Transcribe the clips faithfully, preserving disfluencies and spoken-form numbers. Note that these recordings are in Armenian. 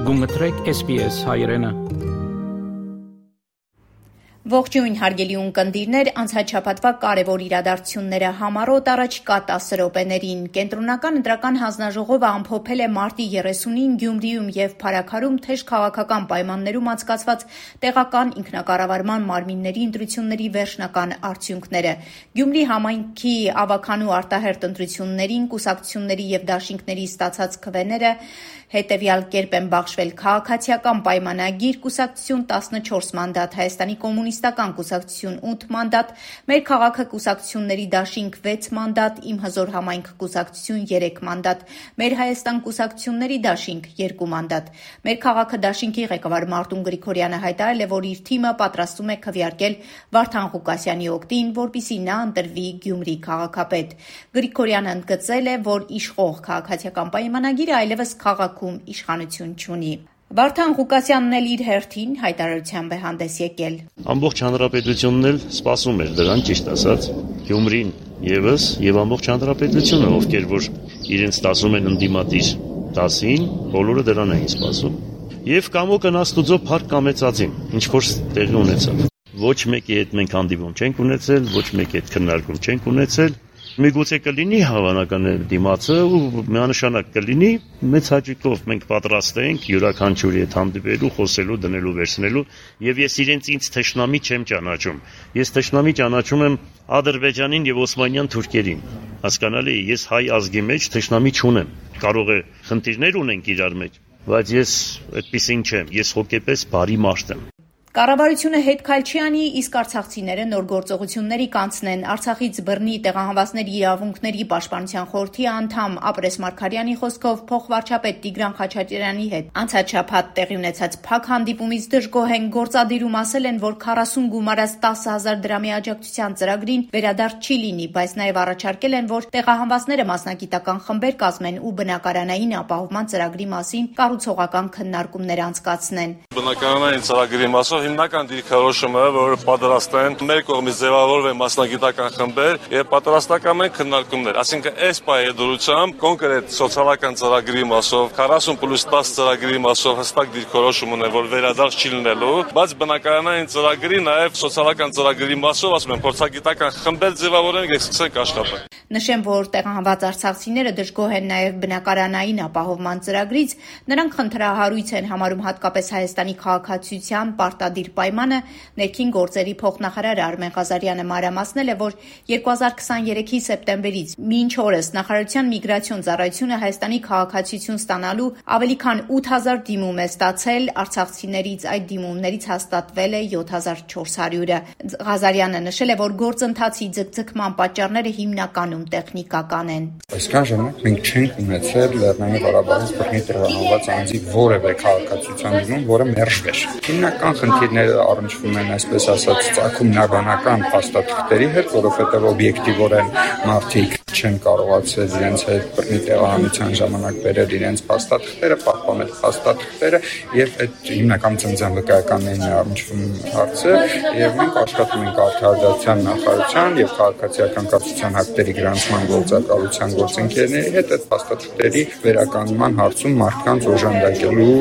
Գումտրեք S B S հայրենը։ Ողջույն հարգելի ունկնդիրներ, անցաչափատվա կարևոր իրադարձությունները համառոտ առաջիկա տասը րոպեներին։ Կենտրոնական ընտրական հանձնաժողովը ամփոփել է մարտի երեսունին Գյումրիում եւ Փարաքարում թեժ քաղաքական պայմաններում անցկացված տեղական ինքնակառավարման մարմինների ընտրությունների վերջնական արդյունքները։ Գյումրի համայնքի ավականու արտահերթ ընտրություններին կուսակցությունների եւ դաշինքների ստացած քվեները հետեւյալ կերպ են բաշխվել. Քաղաքացիական պայմանագիր կուսակցություն տասնչորս մանդատ, Հայաստանի կոմունիստական կուսակցություն ութ մանդատ, Մեր քաղաքը կուսակցությունների դաշինք վեց մանդատ, Իմ հզոր համայնք կուսակցություն երեք մանդատ, Մեր Հայաստան կուսակցությունների դաշինք երկու մանդատ։ Մեր քաղաքը դաշինքի ղեկավար Մարտուն Գրիգորյանը հայտարարել է, որ իր թիմը պատրաստում է քվեարկել Վարդան Ղուկասյանի օգտին, որպեսզի նա ընտրվի Գյումրի քաղաքապետ։ Գրիգորյանը ընդգծել է, որ իշխող քաղաքացիական պայմանագիրը այլևս քաղաքում իշխանություն չունի։ Վարդան Ղուկասյանն էլ իր հերթին հայտարարությամբ է հանդես եկել։ Ամբողջ հանրապետությունն էլ սպասում էր դրան, ճիշտ ասած, Գյումրին եւս եւ ամբողջ հանրապետությունը, ովքեր որ իրենց տասում են ընդդիմադիր տասին, բոլորը դրան էին սպասում։ Եվ կամոկը աստուծո փառք կամեցածին, ինչ որ տեղի ունեցավ։ Ոչ մեկի հետ մենք հանդիպում չենք ունեցել, ոչ մեկի հետ քննարկում չենք ունեցել։ Միգուցե կլինի հավանական է դիմացը ու միանշանակ կլինի, մեծ հաճույքով մենք պատրաստ ենք յուրաքանչյուրի հետ հանդիպելու, խոսելու, դնելու, վերցնելու, եւ ես իրենց ինձ թշնամի չեմ ճանաչում։ Ես թշնամի ճանաչում եմ Ադրբեջանին եւ Օսմանյան թուրքերին։ Հասկանալի է, ես հայ ազգի մեջ թշնամի չունեմ։ Կարող է խնդիրներ ունենք իրար մեջ, բայց ես այդպեսին չեմ, ես հոգեպես բարի մարդ եմ։ Կառավարությունը հետ քայլ չի անի, իսկ արցախցիները նոր գործողությունների կանցնեն։ Արցախից բռնի տեղահանվածների իրավունքների պաշտպանության խորհրդի անդամ Ապրես Մարգարյանի խոսքով փոխվարչապետ Տիգրան Խաչատրյանի հետ անցած շաբաթ տեղի ունեցած փակ հանդիպումից դժգոհ են, գործադիրում ասել են, որ քառասուն գումարած տասը հազար դրամի աջակցության ծրագրին վերադարձ չի լինի, բայց նաև առաջարկել են, որ տեղահանվածները մասնագիտական խմբեր կազմեն ու բնակարանային ապահովման ծրագրի մասին կառուցողական քննարկումներ անցկացնեն։ Բնակարանային ծրագրի մասով հիմնական դիրքորոշումը, որ պատրաստ են մեր կողմից ձևավորվել մասնագիտական խմբեր եւ պատրաստական են քննարկումներ, այսինքն այս պայեդրությամբ կոնկրետ սոցիալական ծրագրի մասով քառասուն պլյուս տասը ծրագրի մասով հստակ դիրքորոշում ունեն, որ վերադարձ չի լինելու, բայց բնակարանային ծրագրի նաեւ սոցիալական ծրագրի մասով ասում են փորձագիտական խմբեր ձևավորենք եւ սկսենք աշխատել։ Նշեմ, որ տեղահանված արցախցիները դժգոհ են նաև բնակարանային ապահովման ծրագրից, նրանք խնդրահարույց են համարում հատկապես Հայաստանի քաղաքացիության պարտադիր պայմանը։ Ներքին գործերի փոխնախարար Արմեն Ղազարյանը մանրամասնել է, որ երկու հազար քսաներեքի սեպտեմբերից մինչ օրս նախարարության միգրացիոն ծառայությունը Հայաստանի քաղաքացիություն ստանալու ավելի քան ութ հազար դիմում է ստացել, արցախցիներից այդ դիմումներից հաստատվել է յոթ հազար չորս հարյուրը։ Ղազարյանը նշել է, որ գործընթացի ձգձգման պատճառները հիմնականում տեխնիկական են։ Այսքան ժամանակ մենք չենք ունեցել Լեռնային Ղարաբաղից բռնի տեղահանված անձի որևէ քաղաքացիության դիմում, որը մերժվեր։ Հիմնական խնդիրները առնչվում են, այսպես ասած, ծագում նաբանական փաստաթղթերի հետ, որովհետև օբյեկտիվորեն մարդիկ չեն կարողացել իրենց հետ բռնի տեղահանության ժամանակ բերել իրենց փաստաթղթերը, պահպանել փաստաթղթերը եւ այդ հիմնական ծնծան վկայականներին առնչվում հարցեր եւ մենք աշխատում ենք արդարադատության նախարարության եւ քաղաքացիական կապության հակտերի գրանցման գործակալության գործընկերների հետ այդ փաստաթղթերի վերականգնման հարցում մարդկանց օժանդակելու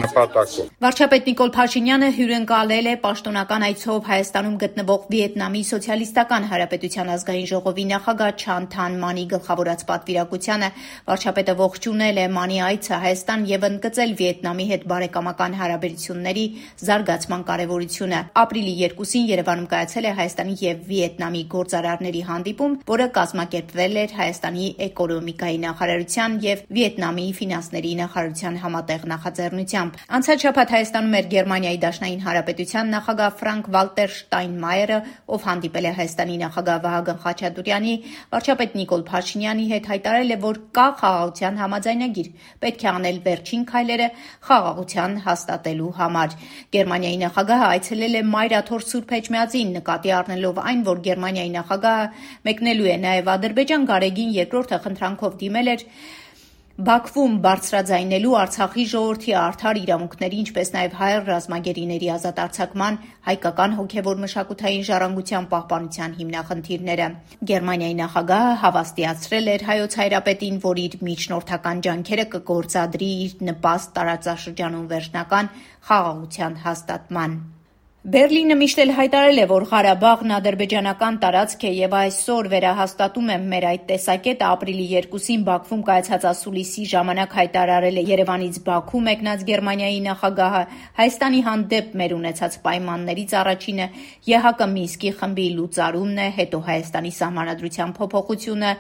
նպատակով։ Վարչապետ Նիկոլ Փաշինյանը հյուրընկալել է պաշտոնական այցով Հայաստանում գտնվող Վիետնամի Սոցիալիստական Հանրապետության ազգային ժողովի նախագահ Չան Թան Մանի գլխավորած պատվիրակությանը։ Վարչապետը ողջունել է Մանի այցը Հայաստան եւ ընդգծել Վիետնամի հետ բարեկամական հարաբերությունների զարգացման կարեւորությունը։ Ապրիլի երկուսին Երևանում կայացել է Հայաստանի եւ Վիետնամի գործարարների հանդիպում, որը կազմակերպվել էր Հայաստանի էկոնոմիկայի նախարարության եւ Վիետնամի ֆինանսների նախարարության համատեղ նախաձեռնությամբ։ Անցած շաբաթ Հայաստանում էր Գերմանիայի Դաշնային Հանրապետության նախագահ Ֆրանկ Վալտեր Շտայնմայերը, ով հանդիպել է Հայաստանի նախագահ Վահագն Խաչատուրյանի, վարչապետ Նիկոլ Փաշինյանի հետ հայտարարել է, որ կա խաղաղության համաձայնագիր, պետք է անել վերջին քայլերը խաղաղության հաստատելու համար։ Գերմանիայի նախագահը այցելել է Մայրաթոր Սուրբ Էջմիածին, նկատի առնելով այն, որ Գերմանիայի նախագահը մեկնելու է նաև Ադրբեջան, Գարեգին երկրորդը խնդրանքով դիմել էր Բաքվում բարձրաձայնելու Արցախի ժողովրդի արդար իրավունքների, ինչպես նաև հայ ռազմագերիների ազատ արձակման, հայկական հոգևոր մշակութային ժառանգության պահպանության հիմնախնդիրները։ Գերմանիայի նախագահը հավաստիացրել էր հայոց հայրապետին, որ իր միջնորդական ջանքերը կգործադրի իր նպաստ տարածաշրջանում վերջնական խաղաղության հաստատման։ Բերլինը միշտ էլ հայտարարել է, որ Ղարաբաղն ադրբեջանական տարածք է եւ այսօր վերահաստատում է մեր այդ տեսակետը ապրիլի երկուսին Բաքվում կայացած ասուլիսի ժամանակ հայտարարել է Երևանից Բաքու մեկնած Գերմանիայի նախագահը Հայաստանի հանդեպ մեր ունեցած պայմաններից առաջինը ԵՀԿ Մինսկի խմբի լուծարումն է, հետո Հայաստանի սահմանադրության փոփոխությունը,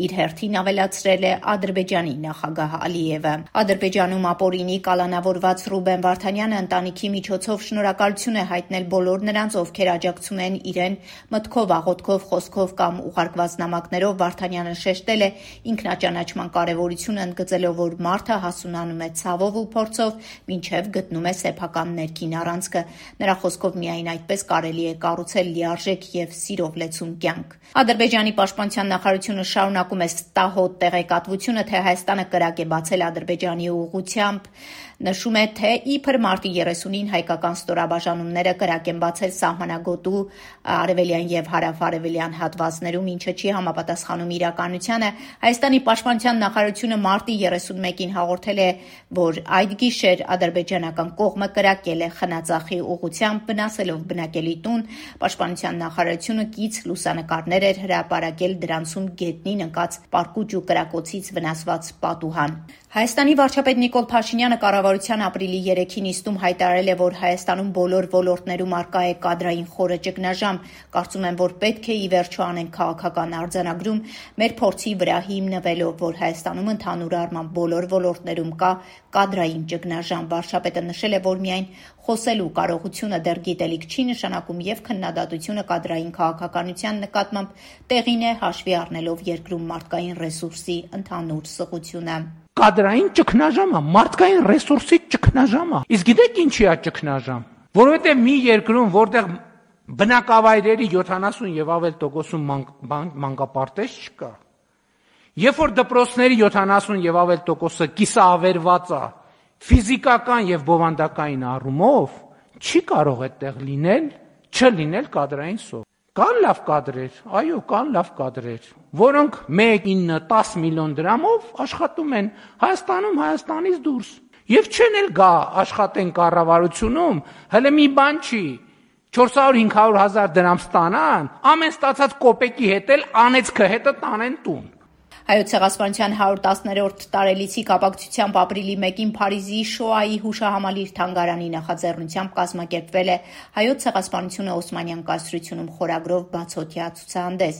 իր հերթին ավելացրել է Ադրբեջանի նախագահ Ալիևը։ Ադրբեջանում ապօրինի կալանավորված Ռուբեն Վարդանյանը ընտանիքի միջոցով շնորհակալություն է հայտնել բոլոր նրանց, ովքեր աջակցում են իրեն մտքով, աղոթքով, խոսքով կամ ուղարկված նամակներով։ Վարդանյանը շեշտել է ինքնաճանաչման կարևորությունը, ընդգծելով, որ մարդը հասունանում է ցավով ու փորձով, մինչև գտնում է սեփական ներքին առանցքը։ Նրա խոսքով միայն այդպես կարելի է կառուցել լիարժեք եւ սիրով լեցուն կյանք։ Ադրբեջանի պաշտպանության նախարարությունը շարունակում է ստահոդ տեղեկատվությունը, թե Հայաստանը կրակ է բացել Ադրբեջանի ուղղությամբ։ Նշում է, թե իբր մարտի երեսունին հայկական ստորաբաժանումները կրակ են բացել սահմանագոտու արևելյան եւ հարավ-արևելյան հատվածներում, ինչը չի համապատասխանում իրականությանը։ Հայաստանի պաշտպանության նախարարությունը մարտի երեսունմեկին հաղորդել է, որ այդ գիշեր ադրբեջանական կողմը կրակել է Խնածախի ուղղությամբ, վնասելով բնակելի տուն։ Պաշտպանության նախարարությունը կից լուսանկարներ էր հրապարակել դրանցում գետնին ընկած պարկուճ ու կրակոցից վնասված պատուհան։ Հայաստանի վարչապետ Նիկոլ Փաշինյանը կառավարության ապրիլի երեքին նիստում հայտարարել է, որ Հայաստանում բոլոր ոլորտներում առկա է կադրային խորը ճգնաժամ։ Կարծում եմ, որ պետք է ի վերջո անենք քաղաքական արձանագրում մեր փորձի վրա հիմնվելով, որ Հայաստանում ընդհանուր առմամբ բոլոր ոլորտներում կա կադրային ճգնաժամ։ Վարչապետը նշել է, որ միայն խոսելու կարողությունը դեռ գիտելիք չի նշանակում եւ քննադատությունը կադրային քաղաքականության նկատմամբ տեղին է հաշվի առնելով երկրում մարդկային ռեսուրսի ընդհանուր սղությունը։ Կադրային ճգնաժամը, մարդկային ռեսուրսի ճգնաժամը։ Իսկ գիտեք ինչի է ճգնաժամ։ Որովհետև մի երկրում, որտեղ բնակավայրերի յոթանասուն եւ ավել տոկոսում մանկապարտեզ չկա, երբ որ դպրոցների յոթանասուն եւ ավել տոկոսը կիսաավերված է ֆիզիկական եւ բովանդակային առումով, չի կարող այդտեղ լինել, չլինել կադրային սով։ Կան լավ կադրեր, այո, կան լավ կադրեր, որոնք մեկ, ինը, տաս միլիոն դրամով աշխատում են Հայաստանում, Հայաստանից դուրս։ Եվ չեն էլ գա աշխատեն կառավարությունում, հələ մի բան չի, չորս հարյուր հինգ հարյուր հազար դրամ ստանան, ամեն ստացած կոպեկի հետ էլ անեծքը հետը տանեն տուն։ Հայոց ցեղասպանության հարյուր տասներորդ տարելիցի կապակցությամբ ապրիլի մեկին Փարիզի Շոայի հուշահամալիր թանգարանի նախաձեռնությամբ կազմակերպվել է Հայոց ցեղասպանությունը Օսմանյան կայսրությունում խորագրով բացօթյա ցուցահանդես։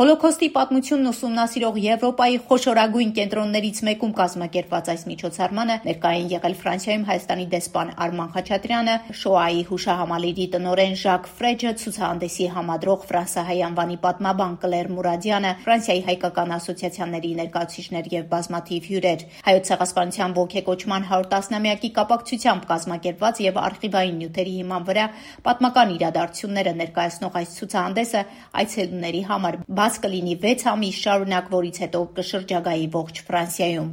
Հոլոքոստի պատմությունն ուսումնասիրող Եվրոպայի խոշորագույն կենտրոններից մեկում կազմակերպված այս միջոցառմանը ներկայ են եղել Ֆրանսիայում Հայաստանի դեսպան Արման Խաչատրյանը, Շոայի հուշահամալիրի տնօրեն Ժակ Ֆրեջը, ցուցահանդեսի համադրող ֆրանսահայ անվանի պատմաբան Կլեր Մուրադյանը, Ֆրանսիայի հայկական ասոցիացիան ներկայացուցիչներ եւ բազմաթիվ հյուրեր։ Հայոց ցեղասպանության ոգեկոչման հարյուր տասնամյակի կապակցությամբ կազմակերպված եւ արխիվային նյութերի հիման վրա պատմական իրադարձությունները ներկայացնող այս ցուցահանդեսը այցելուների համար բաց կլինի վեց ամիս շարունակ, որից հետո կշրջագայի ողջ Ֆրանսիայում։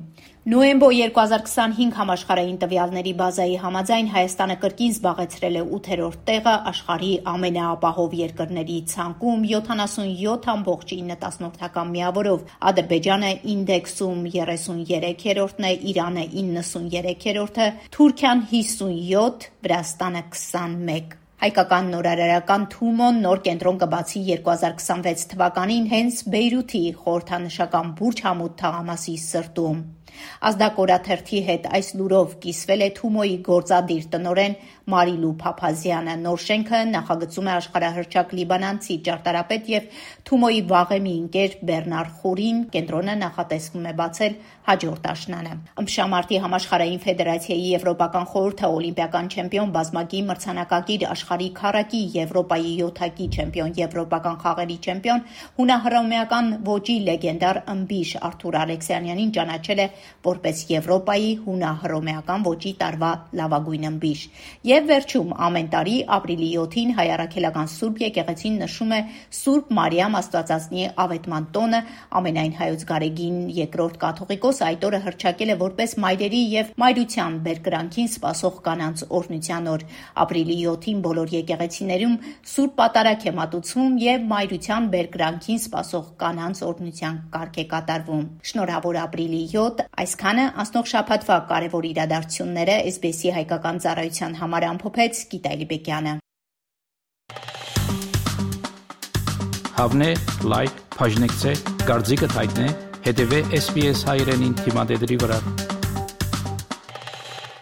Նոյեմբո երկու հազար քսանհինգ համաշխարհային տվյալների բազայի համաձայն Հայաստանը կրկին զբաղեցրել է ութերորդ տեղը աշխարհի ամենաապահով երկրների ցանկում յոթանասունյոթ ամբողջ ինը տասնորդական միավորով։ Ադրբեջանը ինդեքսում երեսուներեքերորդն է, Իրանը իննսուներեքերորդը, Թուրքիան հիսունյոթ, Վրաստանը քսանմեկ։ Հայկական նորարարական Թումոն նոր կենտրոն կբացի երկու հազար քսանվեց թվականին հենց Բեյրութի խորհրդանշական Բուրջ Համուդ թաղամասի սրտում։ Ազդակորաթերթի հետ այս լուրով կիսվել է Թումոյի գործադիր տնօրեն Մարիլու Փափազյանը։ Նոր շենքը նախագծում է աշխարհահռչակ լիբանանցի ճարտարապետ եւ Թումոյի վաղեմի ընկեր Բեռնար Խորին։ Կենտրոնը նախատեսվում է բացել հաջորդ աշնանը։ Ըմբշամարտի համաշխարհային ֆեդերացիայի Եվրոպական խորհուրդը օլիմպիական չեմպիոն բազմակի մրցանակակիր աշխարհի քառակի Եվրոպայի յոթակի չեմպիոն Եվրոպական խաղերի չեմպիոն հունահռոմեական ոճի լեգենդար ըմբիշ Արթուր Ալեքսանյանին ճանաչել է որպես Եվրոպայի հունա-հռոմեական ոճի տարվա լավագույն ըմբիշ։ Եվ վերջում ամեն տարի ապրիլի յոթին հայ առաքելական Սուրբ եկեղեցին նշում է Սուրբ Մարիամ Աստվածածնի ավետման տոնը, ամենայն հայոց գարեգին երկրորդ կաթողիկոս այդ օրը հռչակել է որպես մայրերի եւ մայրության բերկրանքին սպասող կանանց օրհնության օր։ Ապրիլի յոթին բոլոր եկեղեցիներում Սուրբ Պատարագ է մատուցվում եւ մայրության բերկրանքին սպասող կանանց օրհնության կարգ է կատարվում։ Շնորհավոր ապրիլի յոթ, այսքանը անցնող շաբաթվա կարևոր իրադարձությունները էս բի էսի հայկական ծառայության համար ամփոփեց Գիտա Լիբեկյանը։ Հավնե, լայք, բաժնեկցե, դարձիկը թայտնե, հետևե էս բի էս հայրենին թիմադեդի վրա։